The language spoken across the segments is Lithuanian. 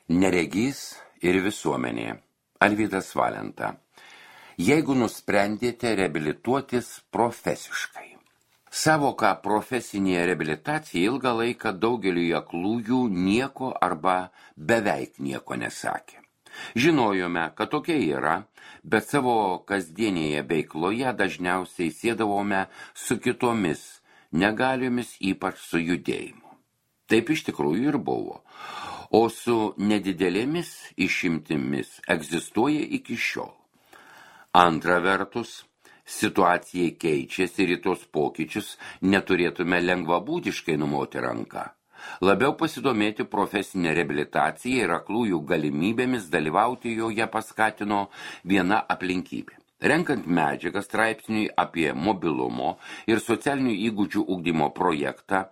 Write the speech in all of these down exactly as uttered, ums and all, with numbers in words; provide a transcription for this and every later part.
Neregys ir visuomenė. Alvydas Valenta. Jeigu nusprendėte reabilituotis profesiškai. Savoka profesinė reabilitacija ilgą laiką daugeliui aklųjų nieko arba beveik nieko nesakė. Žinojome, kad tokia yra, bet savo kasdienėje veikloje dažniausiai siedavome su kitomis negaliomis, ypač su judėjimu. Taip iš tikrųjų ir buvo. O su nedidelėmis išimtimis egzistuoja iki šiol. Antra vertus, situacija keičiasi ir į tos pokyčius neturėtume lengvabūdiškai numoti ranką. Labiau pasidomėti profesinę reabilitaciją ir aklųjų galimybėmis dalyvauti joje paskatino viena aplinkybė. Renkant medžiagą straipsniui apie mobilumo ir socialinių įgūdžių ugdymo projektą,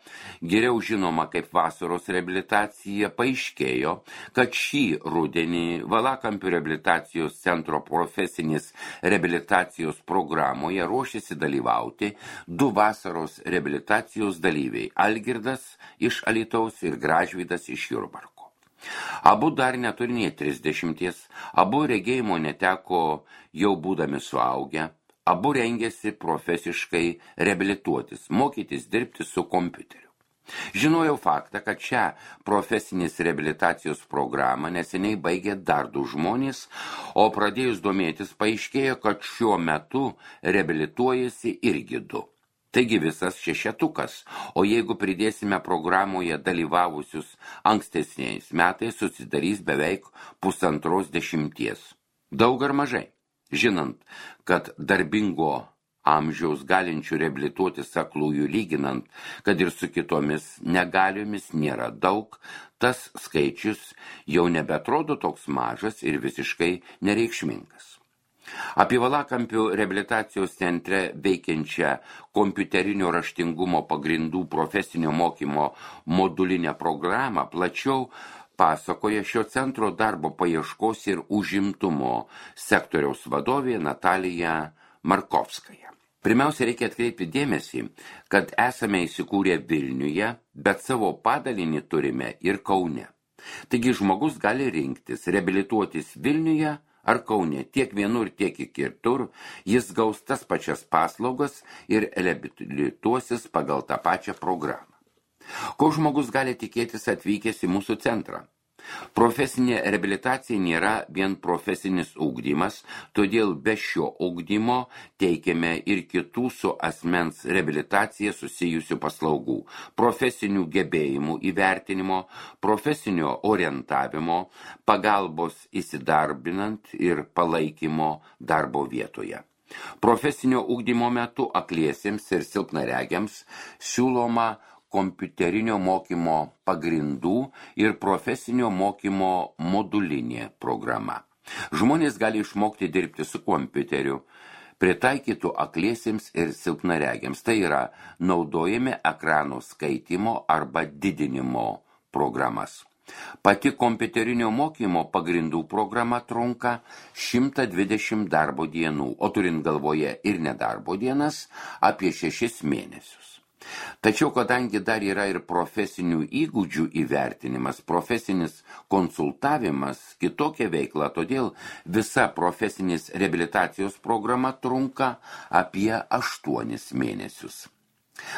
geriau žinoma kaip vasaros reabilitacija, paaiškėjo, kad šį rudenį Valakampių reabilitacijos centro profesinės reabilitacijos programoje ruošiasi dalyvauti du vasaros reabilitacijos dalyviai – Algirdas iš Alytaus ir Gražvydas iš Jurbarko. Abu dar neturi nė trisdešimties, abu regėjimo neteko jau būdami suaugę, abu rengėsi profesiškai reabilituotis, mokytis dirbti su kompiuteriu. Žinojau faktą, kad šią profesinės reabilitacijos programą neseniai baigė dar du žmonės, o pradėjus domėtis paaiškėjo, kad šiuo metu reabilituojasi irgi du. Taigi visas šešetukas, o jeigu pridėsime programoje dalyvavusius ankstesniais metais, susidarys beveik pusantros dešimties. Daug ar mažai? Žinant, kad darbingo amžiaus galinčių reabilituotis aklųjų lyginant, kad ir su kitomis negaliomis nėra daug, tas skaičius jau nebeatrodo toks mažas ir visiškai nereikšmingas. Apie Valakampių reabilitacijos centre veikiančią kompiuterinio raštingumo pagrindų profesinio mokymo modulinę programą plačiau pasakoja šio centro darbo paieškos ir užimtumo sektoriaus vadovė Natalija Markovskaja. Pirmiausia, reikia atkreipti dėmesį, kad esame įsikūrę Vilniuje, bet savo padalinį turime ir Kaune. Taigi žmogus gali rinktis reabilituotis Vilniuje ar Kaune, tiek vienur, tiek kitur, jis gaus tas pačias paslaugas ir reabilituosis pagal tą pačią programą. Ko žmogus gali tikėtis atvykęs į mūsų centrą? Profesinė reabilitacija nėra vien profesinis ugdymas, todėl be šio ugdymo teikiame ir kitų su asmens reabilitacija susijusių paslaugų, profesinių gebėjimų įvertinimo, profesinio orientavimo, pagalbos įsidarbinant ir palaikymo darbo vietoje. Profesinio ugdymo metu akliesiems ir silpnaregiams siūloma kompiuterinio mokymo pagrindų ir profesinio mokymo modulinė programa. Žmonės gali išmokti dirbti su kompiuteriu, pritaikytų akliesiems ir silpnaregiams. Tai yra naudojami ekrano skaitymo arba didinimo programas. Pati kompiuterinio mokymo pagrindų programa trunka šimtą dvidešimt darbo dienų, o turint galvoje ir nedarbo dienas, apie šešis mėnesius. Tačiau, kadangi dar yra ir profesinių įgūdžių įvertinimas, profesinis konsultavimas, kitokia veikla, todėl visa profesinės reabilitacijos programa trunka apie aštuonis mėnesius.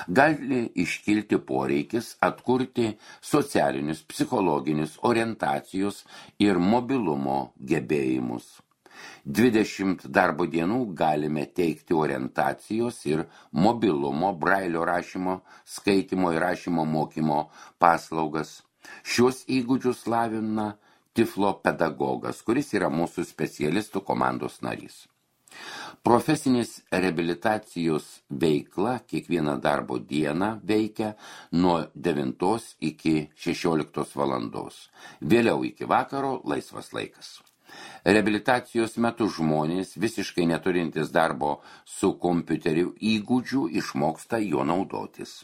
Gali iškilti poreikis atkurti socialinius, psichologinius, orientacijos ir mobilumo gebėjimus. dvidešimt darbo dienų galime teikti orientacijos ir mobilumo, brailio rašymo, skaitimo ir rašymo mokymo paslaugas. Šios įgūdžius lavina tiflopedagogas, kuris yra mūsų specialistų komandos narys. Profesinės reabilitacijos veikla kiekvieną darbo dieną veikia nuo devintos iki šešioliktos valandos. Vėliau iki vakaro laisvas laikas. Reabilitacijos metu žmonės, visiškai neturintis darbo su kompiuteriu įgūdžių, išmoksta jo naudotis.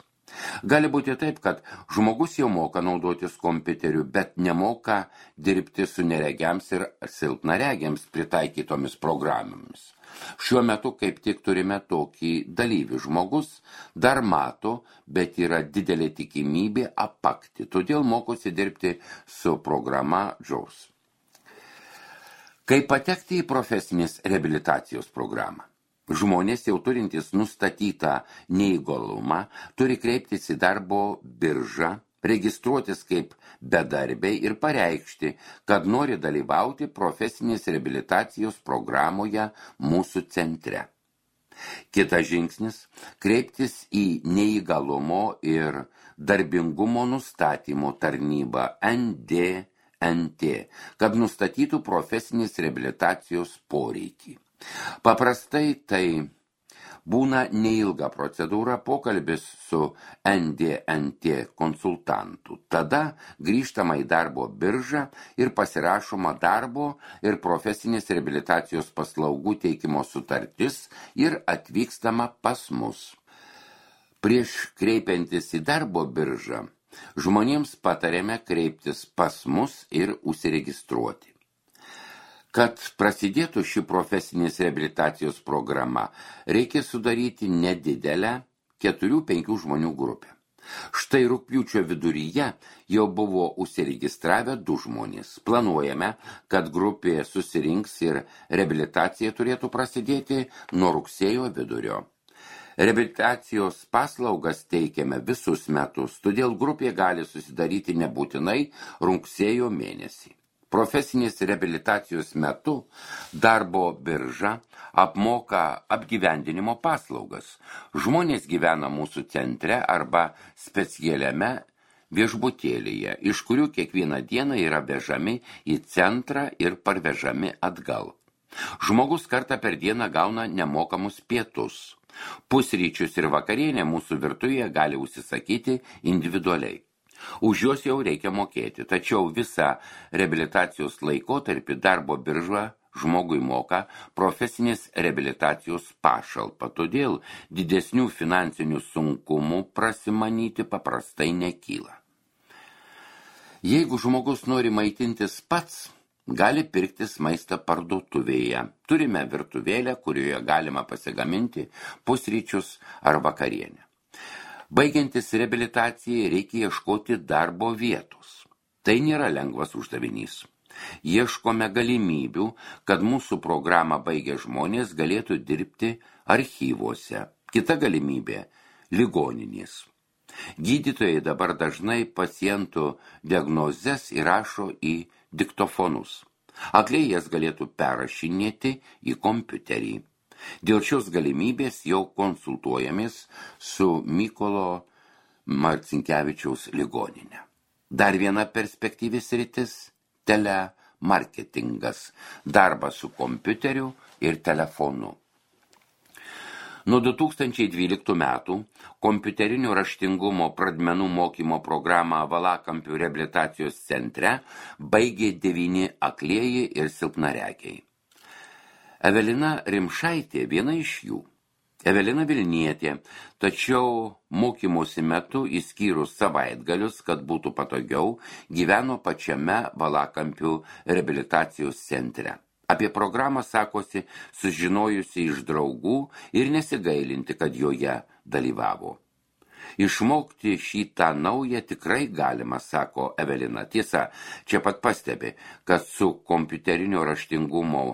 Gali būti taip, kad žmogus jau moka naudotis kompiuteriu, bet nemoka dirbti su neregiams ir silpnaregiams pritaikytomis programomis. Šiuo metu kaip tik turime tokį dalyvį. Žmogus dar mato, bet yra didelė tikimybė apakti, todėl mokosi dirbti su programa JAWS. Kaip patekti į profesinės reabilitacijos programą? Žmonės jau turintys nustatytą neįgalumą turi kreiptis į darbo biržą, registruotis kaip bedarbiai ir pareikšti, kad nori dalyvauti profesinės reabilitacijos programoje mūsų centre. Kitas žingsnis – kreiptis į neįgalumo ir darbingumo nustatymo tarnybą N D N T, kad nustatytų profesinės reabilitacijos poreikį. Paprastai tai būna neilga procedūra, pokalbis su N D N T konsultantu. Tada grįžtama į darbo biržą ir pasirašoma darbo ir profesinės reabilitacijos paslaugų teikimo sutartis ir atvykstama pas mus. Prieš kreipiantis į darbo biržą, žmonėms patarėme kreiptis pas mus ir užsiregistruoti. Kad prasidėtų ši profesinės reabilitacijos programa, reikia sudaryti nedidelę keturių penkių žmonių grupę. Štai rugpjūčio viduryje jau buvo užsiregistravę du žmonės. Planuojame, kad grupė susirinks ir reabilitacija turėtų prasidėti nuo rugsėjo vidurio. Reabilitacijos paslaugas teikiame visus metus, todėl grupė gali susidaryti nebūtinai rugsėjo mėnesį. Profesinės reabilitacijos metu darbo birža apmoka apgyvendinimo paslaugas. Žmonės gyvena mūsų centre arba specialiame viešbutėlyje, iš kurių kiekvieną dieną yra vežami į centrą ir parvežami atgal. Žmogus kartą per dieną gauna nemokamus pietus. Pusryčius ir vakarienę mūsų virtuvėje gali užsisakyti individualiai. Už juos jau reikia mokėti, tačiau visą reabilitacijos laikotarpį darbo birža žmogui moka profesinės reabilitacijos pašalpą, todėl didesnių finansinių sunkumų prasimanyti paprastai nekyla. Jeigu žmogus nori maitintis pats, gali pirktis maistą parduotuvėje. Turime virtuvėlę, kurioje galima pasigaminti pusryčius ar vakarienę. Baigiantis reabilitacijai reikia ieškoti darbo vietos. Tai nėra lengvas uždavinys. Ieškome galimybių, kad mūsų programą baigę žmonės galėtų dirbti archyvuose. Kita galimybė – ligoninės. Gydytojai dabar dažnai pacientų diagnozes įrašo į diktofonus. Akliai jas galėtų perrašinėti į kompiuterį. Dėl šios galimybės jau konsultuojamės su Mykolo Marcinkevičiaus ligoninė. Dar viena perspektyvi sritis – telemarketingas, darbas su kompiuteriu ir telefonu. Nuo du tūkstančiai dvyliktų metų kompiuterinio raštingumo pradmenų mokymo programą Valakampių reabilitacijos centre baigė devyni aklieji ir silpnaregiai. Evelina Rimšaitė viena iš jų. Evelina Vilnietė, tačiau mokymosi metu įskyrus savaitgalius, kad būtų patogiau, gyveno pačiame Valakampių reabilitacijos centre. Apie programą sakosi sužinojusi iš draugų ir nesigailinti, kad joje dalyvavo. Išmokti šitą naują tikrai galima, sako Evelina. Tiesa, čia pat pastebi, kad su kompiuterinio raštingumo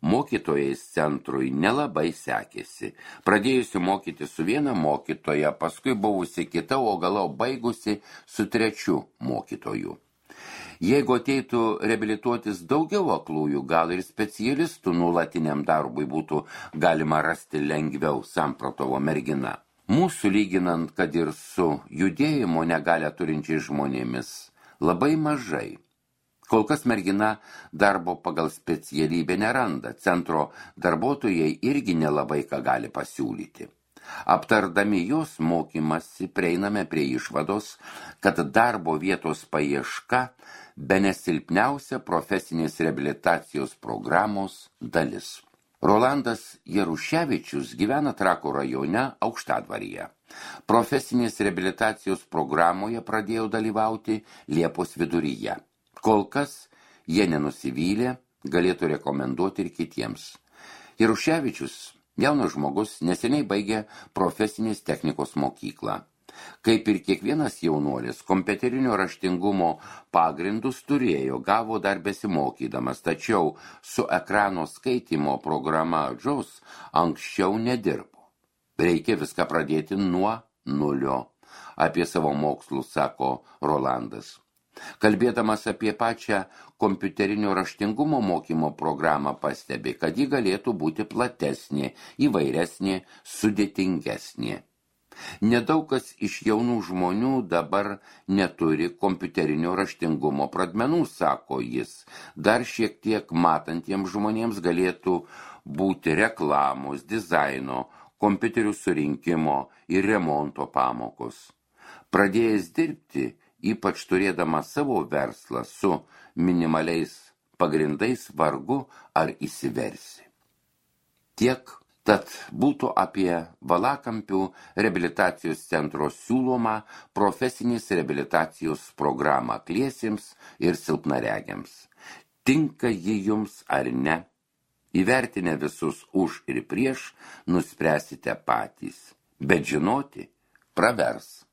mokytojais centrui nelabai sekėsi. Pradėjusi mokyti su viena mokytoja, paskui buvusi kita, o galau baigusi su trečiu mokytoju. Jeigu ateitų reabilituotis daugiau aklųjų, gal ir specialistų nuolatiniam darbui būtų galima rasti lengviau, samprotovo mergina. Mūsų lyginant, kad ir su judėjimo negalią turinčiais žmonėmis, labai mažai. Kol kas mergina darbo pagal specialybę neranda, centro darbuotojai irgi nelabai ką gali pasiūlyti. Aptardami jos mokymasi prieiname prie išvados, kad darbo vietos paieška bene silpniausia profesinės reabilitacijos programos dalis. Rolandas Jaruševičius gyvena Trakų rajone Aukštadvaryje. Profesinės reabilitacijos programoje pradėjau dalyvauti Liepos viduryje. Kol kas jie nenusivylė, galėtų rekomenduoti ir kitiems. Jaruševičius, jaunas žmogus, neseniai baigė profesinės technikos mokyklą. Kaip ir kiekvienas jaunuolis, kompiuterinio raštingumo pagrindus turėjo, gavo dar besimokydamas, tačiau su ekrano skaitymo programa JAWS anksčiau nedirbo. Reikia viską pradėti nuo nulio, apie savo mokslus sako Rolandas. Kalbėdamas apie pačią kompiuterinio raštingumo mokymo programą pastebi, kad ji galėtų būti platesnė, įvairesnė, sudėtingesnė. Nedaug kas iš jaunų žmonių dabar neturi kompiuterinio raštingumo pradmenų, sako jis. Dar šiek tiek matantiems žmonėms galėtų būti reklamos, dizaino, kompiuterių surinkimo ir remonto pamokos. Pradėjęs dirbti, ypač turėdama savo verslą su minimaliais pagrindais, vargu ar įsiversi. Tiek. Tad būtų apie Valakampių reabilitacijos centro siūlomą profesinės reabilitacijos programą akliesiems ir silpnaregiams. Tinka ji jums ar ne? Įvertinę visus už ir prieš, nuspręsite patys. Bet žinoti pravers.